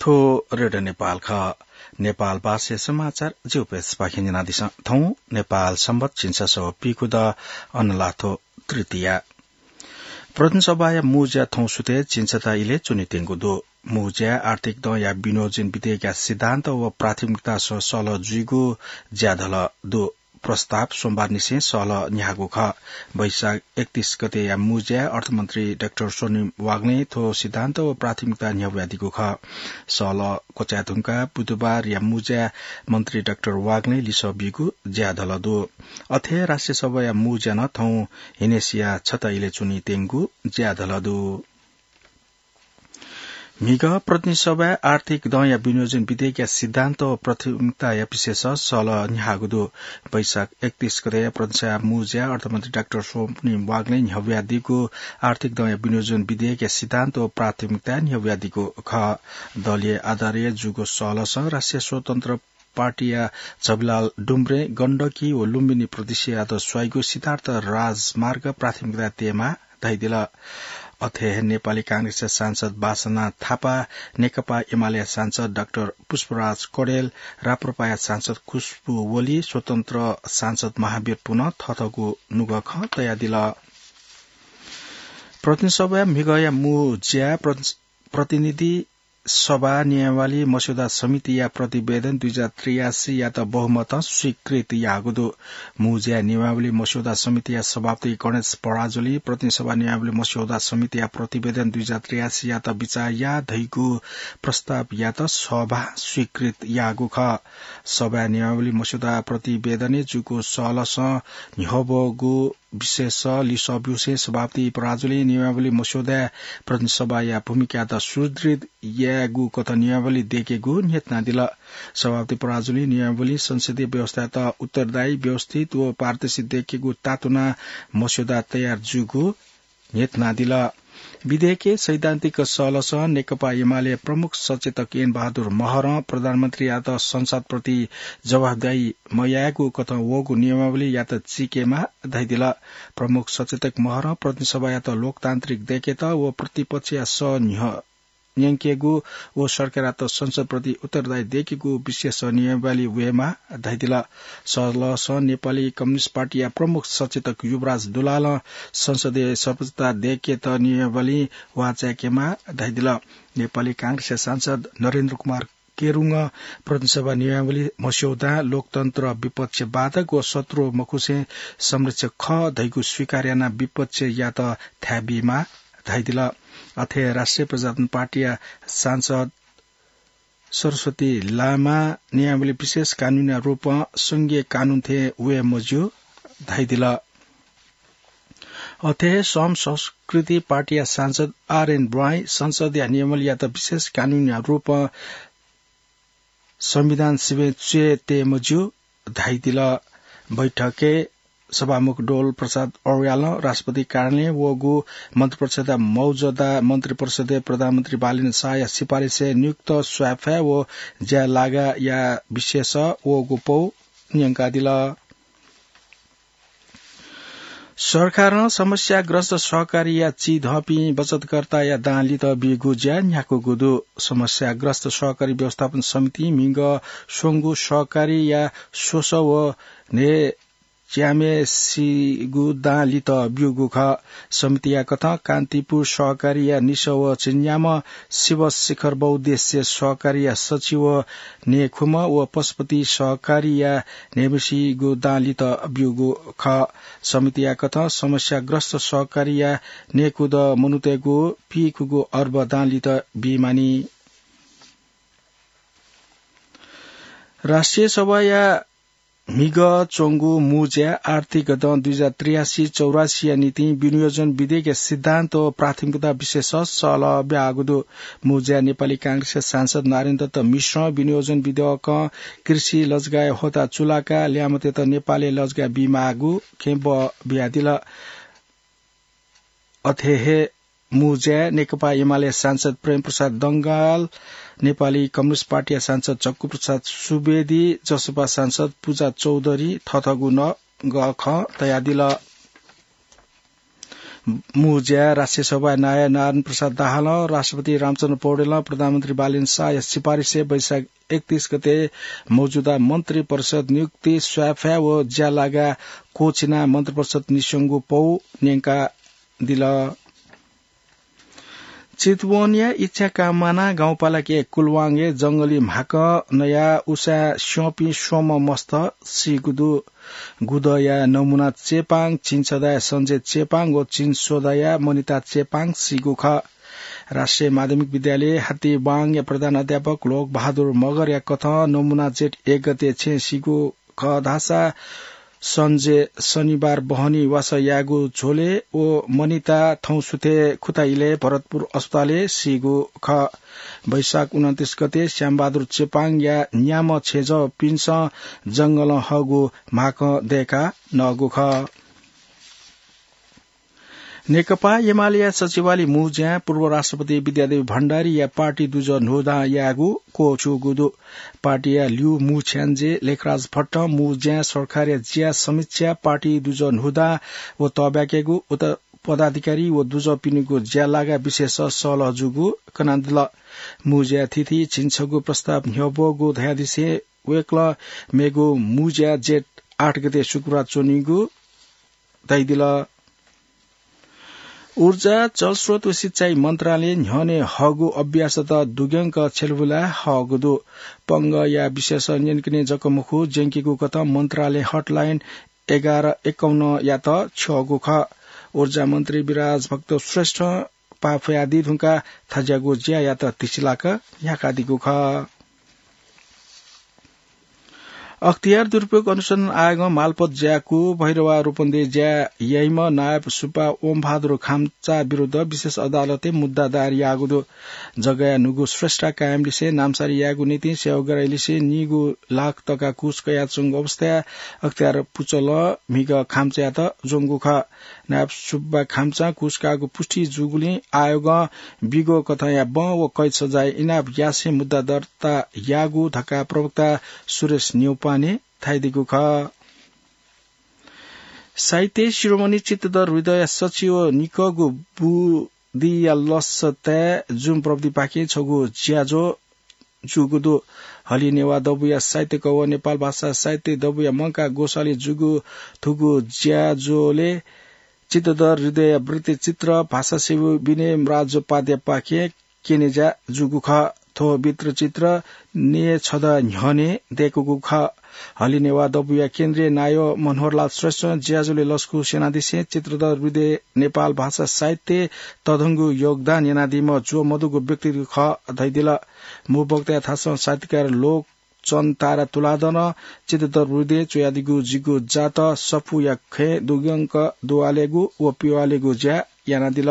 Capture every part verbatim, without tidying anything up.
थ्व रेडियो नेपाल खः। नेपाल भाषाया समाचार ज्यू प्रेसपाखें न्यनादिसँ। थौं नेपाल संवत् झिंछसः व पीखुदँ अनलाथ्व तृतीया। प्रतिनिधि सभाया मू ज्या थौं सुथय् झिंछता इलय् च्वनेत्यंगु दु। मू ज्याय् आर्थिक दँया विनियोजन विधेयकया सिद्धान्त व प्राथमिकतासं सहलह जुइगु ज्याधल दु। प्रस्ताव सोमबारनिसें सहलह न्ह्याःगु खः। वैशाख एकतीस गतेया मू ज्याय् अर्थमन्त्री डाक्टर स्वनिम वाग्लें थ्व सिद्धान्त व प्राथमिकता न्ह्यब्वयादीगु खः। सहलह क्वचाये धुंकाः बुधबारया मू ज्याय् मन्त्री डाक्टर वाग्लें लिसः बीगु ज्याधल दु। अथे राष्ट्रिय सभाया मू ज्या नं थौं ह्यनय्सिया छता इलय् च्वनेत्यंगु ज्याधल दु। म्हिगः प्रतिनिधि सभाय् आर्थिक दँया विनियोजन विधेयकया सिद्धान्त व प्राथमिकताया विषयस सहलह न्ह्याःगु दु। वैशाख एकतीस गतेया प्रतिनिधि सभाया मू ज्याय् अर्थमन्त्री डाक्टर स्वनिम वाग्लें न्ह्यब्वयादीगु आर्थिक दँया विनियोजन विधेयकया सिद्धान्त व प्राथमिकता न्ह्यब्वयादीगु खः। दलीय आधारय् जूगु सहलहसं राष्ट्रिय स्वतन्त्र पार्टीया झबीलाल डुम्ब्रें गण्डकी व लुम्बिनी प्रदेशयात स्वाइगु सिद्धार्थ राजमार्ग प्राथमिकता तयेमाः धयादिल। अथे हे नेपाली कांग्रेसया सांसद बासना थापा, नेकपा एमालेया सांसद डाक्टर पुष्पराज कडेल, राप्रपाया सांसद खुशबु ओली, स्वतन्त्र सांसद महावीर पुनं थःथःगु नुगः खँ तयादिल। प्रतिनिधि सभाया म्हिगःया मू ज्याय् प्रति-, प्रतिनिधि सभा नियमावली मस्यौदा समितिया प्रतिवेदन दुई हजार त्रियासीयात बहुमतं स्वीकृत याःगु दु। मू ज्याय् नियमावली मस्यौदा समितिया सभापति गणेश पराजुलीं प्रतिनिधि सभा नियमावली मस्यौदा समितिया प्रतिवेदन दुई हजार त्रियासीयात बिचाः याः धइगु प्रस्तावयात सभां स्वीकृत याःगु खः। सभाय् नियमावली मस्यौदा प्रतिवेदनय् जूगु सहलहसं न्ह्यब्वःगु विषयस लिसः ब्यूसें सभापति पराजुलीं नियमावली मस्यौदाय् प्रतिनिधि सभाया भूमिकायात सुदृढ यायेगु कथं नियमावली दय्केगु न्ह्यथनादिल। सभापति पराजुलीं नियमावलीं संसदीय व्यवस्थायात उत्तरदायी, व्यवस्थित व पारदर्शी दय्केगु तातुनाः मस्यौदा तयार जूगु न्ह्यथनादिल। विधेयकय् सैद्धान्तिक सहलहसं नेकपा एमाले प्रमुख सचेतक ऐन बहादुर महरं प्रधानमन्त्रीयात संसदप्रति जवाफदाही मयायेगु कथं वःगु नियमावलीयात चीकेमाः धयादिल। प्रमुख सचेतक महरं प्रतिनिधि सभायात लोकतान्त्रिक दय्केत व प्रतिपक्षया सः न्ह्य-, न्यंकेगु व सरकारयात संसदप्रति उत्तरदायी दय्केगु विषयस नियमावली वयेमाः धयादिल। सहलहसं नेपाली कम्युनिस्ट पार्टीया प्रमुख सचेतक युवराज दुलालं संसदय् सर्वोच्चता दय्केत नियमावली वाःचाय्केमाः धयादिल। नेपाली कांग्रेसया सांसद नरेन्द्र कुमार केरुङं प्रतिनिधि सभा नियमावली मस्यौदां लोकतन्त्र विपक्षवादक व शत्रु मखुसें संरक्षक खः धइगु स्वीकार यानाः विपक्षयात थाय् बीमाः धयादिल। अथे राष्ट्रिय प्रजातन्त्र पार्टीया सांसद सरस्वती लामां नियमावली विशेष कानूनया रूपं संघीय कानून थें वये मज्यू धयादिल। अथे हे श्रम संस्कृति पार्टीया सांसद आरएन ब्वाँइ संसदया नियमावलीयात विशेष कानूनया रूपं संविधान सिबें च्वये तये मज्यू धयादिल। बैठकय् सभामुख डोल प्रसाद अर्यालं राष्ट्रपति कार्यालयं वःगु मन्त्रिपरिषदया मौजूदा मन्त्रिपरिषदय् प्रधानमन्त्री बालेन्द्र शाहया सिफारिसय् नियुक्त स्वाय्फाय् व ज्याय् लागाया विषयस वःगु पौ न्यंकादिल। सरकारं समस्याग्रस्त सहकारीया चिधंपिं बचतकर्ताया दां लित बीगु ज्या न्ह्याकूगु दु। समस्याग्रस्त सहकारी व्यवस्थापन समितिं म्हिगः स्वंगू सहकारीया स्वसः व न्हय् च्याम्हेसिगु दां लित ब्यूगु खः। समितिया कथं कान्तिपुर सहकारीया निसः व झिंन्याम्ह शिवशिखर बहुद्देश्य सहकारीया सछि व न्हय्खुम्ह व पशुपति सहकारीया न्हय्म्हेसिगु दां लित ब्यूगु खः। समितिया कथं समस्याग्रस्त सहकारीया न्हय्कुदँ मनूतय्गु पीखुगु अर्ब दां लित बीमानि। राष्ट्रिय सभाया म्हिगः च्वंगु मू ज्याय् आर्थिक दँ दुई हजार त्रियासी चौरासीया निंतिं विनियोजन विधेयकया सिद्धान्त व प्राथमिकता विषयस सहलह ब्याःगु दु। मू ज्याय् नेपाली कांग्रेसया सांसद नारायण दत्त मिश्रं विनियोजन विधेयकं कृषि लजगाःया ह्वःताः चुलाकाः ल्याय्म्हतय्त नेपालय् लजगाः बीमाःगु खँय् बः बियादिल। अथे हे मू ज्याय् नेकपा एमाले सांसद प्रेमप्रसाद डंगाल, नेपाली कम्युनिस्ट पार्टीया सांसद झक्कुप्रसाद सुवेदी, जसपा सांसद पूजा चौधरी थःथःगु नुगः खँ तयादिल। मू ज्या राष्ट्रिय सभाया नायः नारायण प्रसाद दाहालं, राष्ट्रपति रामचन्द्र पौडेलं प्रधानमन्त्री बालेन शाहया सिफारिसय् वैशाख एकतीस गते मौजूदा मन्त्री परिषद नियुक्ति स्वाफाय् व ज्यालागा क्वःछिनाः मन्त्री परिषद निस्यंगु पौ न्यंकादिल। चितवनया इच्छा काममाना गाउँपालिकाया कुलवाङय् जंगली म्हाकं नयाः उसाँय् स्यंपिं स्वम्ह मस्त सीगु दु। गुदँया नमुना चेपाङ, चिन्सदाया सञ्जय चेपाङ व चिन्सोदाया मनिता चेपाङ सीगु खः। राष्ट्रिय माध्यमिक विद्यालय हातिबाङया प्रधान अध्यापक लोक बहादुर मगरया कथं नमुना जेठ एक गते छेँ सीगु खः धाःसा सञ्जय शनिबार बहनी वासः याःगु झ्वलय् व मनिता थौं सुथय् खुता इलय् भरतपुर अस्पतालय् सीगु खः। वैशाख उनन्तीस गते श्यामबहादुर चेपाङया न्याम्ह छेँजःपिन्सं जंगलं हःगु म्हाकं दय्का नःगु खः। नेकपा एमालेया सचिवालय मू ज्यां पूर्व राष्ट्रपति विद्यादेवी भण्डारीया पार्टी दुजः न्हूदँ यायेगु क्वःछूगु दु। पार्टीया ल्यू मू छ्याञ्जे लेखराज भट्टं मू ज्यां सरकारया ज्या समीक्षा, पार्टी दुजः न्हूदँ व तःब्याकेगु, उता पदाधिकारी व दुजःपिनिगु ज्यालागा विषयस सल्लाह जूगु कनादिल। मू ज्या थीथी झिंछगू प्रस्ताव न्ह्यब्वःगु धयादिसें वय्कलं मेगु मू ज्या जेठ आठ गते शुक्रबार च्वनीगु धयादिल। ऊर्जा, जलस्रोत व सिँचाइ मन्त्रालयं न्ह्यःने हःगु अभ्यासत दुग्यंक छ्यलबुलाः हःगु दु। पंगःया विषयस न्यंकने जक मखु, ज्यंकीगु कथं मन्त्रालयं हटलाइन एघार एकाउन्नयात छ्यःगु खः। ऊर्जा मन्त्री विराज भक्त श्रेष्ठं पाफयादी धुंकाः थज्याःगु ज्यायात तिसिलाक न्ह्याकादीगु खः। अख्तियार दुरुपयोग अनुसन्धान आयोगं मालपोत ज्याकू भैरवा रूपन्देही ज्या याइम्ह नायब सुब्बा ओमबहादुर खाम्चा विरुद्ध विशेष अदालतय् मुद्दा दायर याःगु दु। जग्गाया न्हूगु श्रेष्ठा कायमलिसे नामसारी यायेगु निंतिं सेवाग्राहीलिसे नीगू लाख तका घुस कयाच्वंगु अवस्थाय् अख्तियार पुचलं म्हिगः खाम्चायात ज्वंगु खः। नायब सुब्बा खाम्चां घुस काःगु पुष्टि जूगुलिं आयोगं बिगु कथंया बं व कैद सजाय इनाप यासें मुद्दा दर्ता याःगु धकाः प्रवक्ता सुरेश न्यौपाने धयादीगु खः। साहित्य शिरोमणि चित्तधर हृदयया सचिव निकःगु बुदिया लसताय् जुम प्रविधिपाखें छगू ज्याझ्वः जूगु दु। हलिं नेवाः दबूया साहित्यिक व नेपाल भाषा साहित्य दबूया मंकाः ग्वसालय् जूगु थुगु ज्याझ्वलय् चित्तधर हृदयया वृत्तचित्र भाषासेवी विनय राजोपाध्यायपाखें क्यनेज्या जूगु खः। थ्व वृत्तचित्र नये छदँ न्ह्यःने दय्कूगु खः। हलिं नेवाः दबूया केन्द्रीय नायः मनोहरलाल श्रेष्ठं ज्याझ्वलय् लसकुस यानादिसें चित्तधर हृदयं नेपाल भाषा साहित्यय् तःधंगु योगदान यानादीम्ह ज्वः मदुगु व्यक्तित्व खः धयादिल। मू वक्ताया थासं साहित्यकार लोक चन्द तारा तुलाधरं चित्तधर हृदयं च्वयादीगु जिगु जात सफूया खँय् दुग्यंक दुवालेगु व पिवालेगु ज्या यानादिल।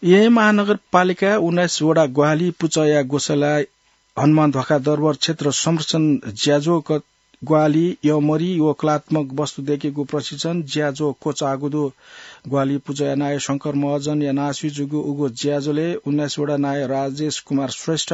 येँ महानगरपालिका उन्नाइस वडा ग्वाहालि पुचःया ग्वसालय् हनुमान ध्वाखा दरबार क्षेत्र संरक्षण ज्याझ्वः क-, ग्वाहालि, यःमरि व कलात्मक वस्तु दय्केगु प्रशिक्षण ज्याझ्वः क्वचाःगु दु। ग्वाहालि पुचःया नायः शंकर महर्जनया नासुइ जूगु उगु ज्याझ्वलय् उन्नाइस वडा नायः राजेश कुमार श्रेष्ठ,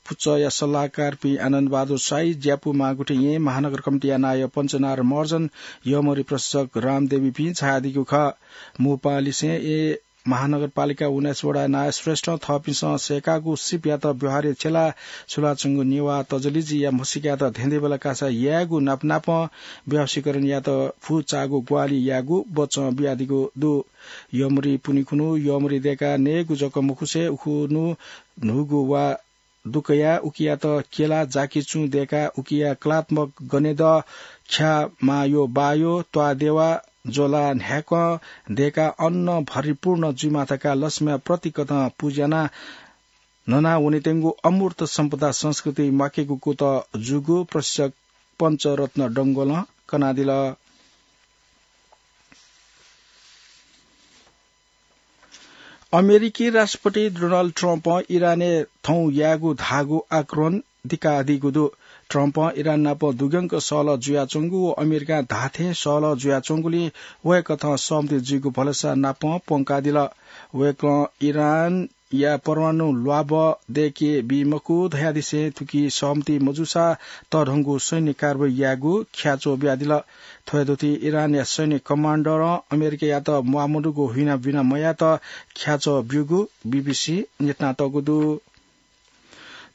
पुचःया सल्लाहकारपिं आनन्द बहादुर शाही, ज्यापू मांगुठी येँ महानगर कमिटीया नायः पञ्चनारायण महर्जन, यःमरि प्रशिक्षक रामदेवीपिं झायादीगु खः। मू पाहांलिसें येँ महानगरपालिका उन्नाइस वडा नायः श्रेष्ठं थःपिन्सं सय्काःगु सिपयात व्यवहारय् छ्यलाः छुलाच्वंगु नेवाः तजलिज्या म्हसीकायात धेंधेंबल्लाः कासा यायेगु नापनापं व्यावसायीकरण यायेत फुचाःगु ग्वाहालि यायेगु बचं बियादीगु दु। यःमरि पुन्हि खुन्हु यःमरि दय्काः नयेगु जक मखुसें उखुन्हु न्हूगु वा दुकयाः उकियात केला जाकिचुं दय्काः उकिया कलात्मक गनेदः, ख्याः मायो बायो, त्वाःदेवा, ज्वला न्हाय्कं दय्काः अन भरिपूर्ण जुइमा धकाः लक्ष्मीया प्रतीक कथं पुजा यानाः नना वनेत्यंगु अमूर्त सम्पदा संस्कृति म्वाकेगु कुतः जूगु प्रशिक्षक पञ्चरत्न डंगोलं कनादिल। अमेरिकी राष्ट्रपति डोनाल्ड ट्रम्पं इरानय् थौं यायेगु धाःगु आक्रमण धिक्कार दीगु दु। ट्रम्पं इरान नाप दुग्यंक सहलह जुयाच्वंगु व अमेरिकां धाःथें सहलह जुयाच्वंगुलिं वय्कथं सहमति जुइगु भलसा नाप प्वंकादिल। वय्कलं इरानया परमाणु ल्वाब दय्के बी मखु धयादिसें थुकी सहमति मजूसा तःधंगु सैन्य कारवाही यायेगु ख्याच्वः बियादिल। थ्वयादुथि इरानया सैन्य कमान्डरं अमेरिकायात म्वाःमदुगु हुइना बिना मयायेत ख्याच्वः ब्यूगु बीबीसी न्यनातःगु दु।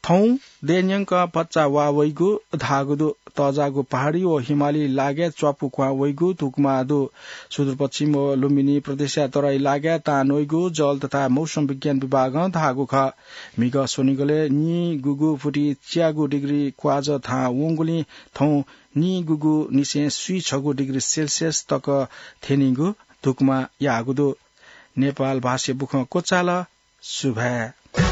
थौं दँय्‌न्यंक भचा वा वइगु धाःगु दु। तःजाःगु पहाडी व हिमाली लागाय् च्वापु क्वहां वइगु धुकुमा दु। सुदूरपश्चिम व लुम्बिनी प्रदेशया तराई लागाय् तां नइगु जल तथा मौसम विज्ञान विभागं धाःगु खः। म्हिगः स्वनिगलय् निगूगु फुति च्यागू डिग्री क्वाजः थाहां वंगुलिं थौं निगूगु निसें स्वीछगू डिग्री सेल्सियस तक थ्यनीगु धुकुमा याःगु दु। नेपाल भाषा बुखँ क्वचाल। सुभाय्।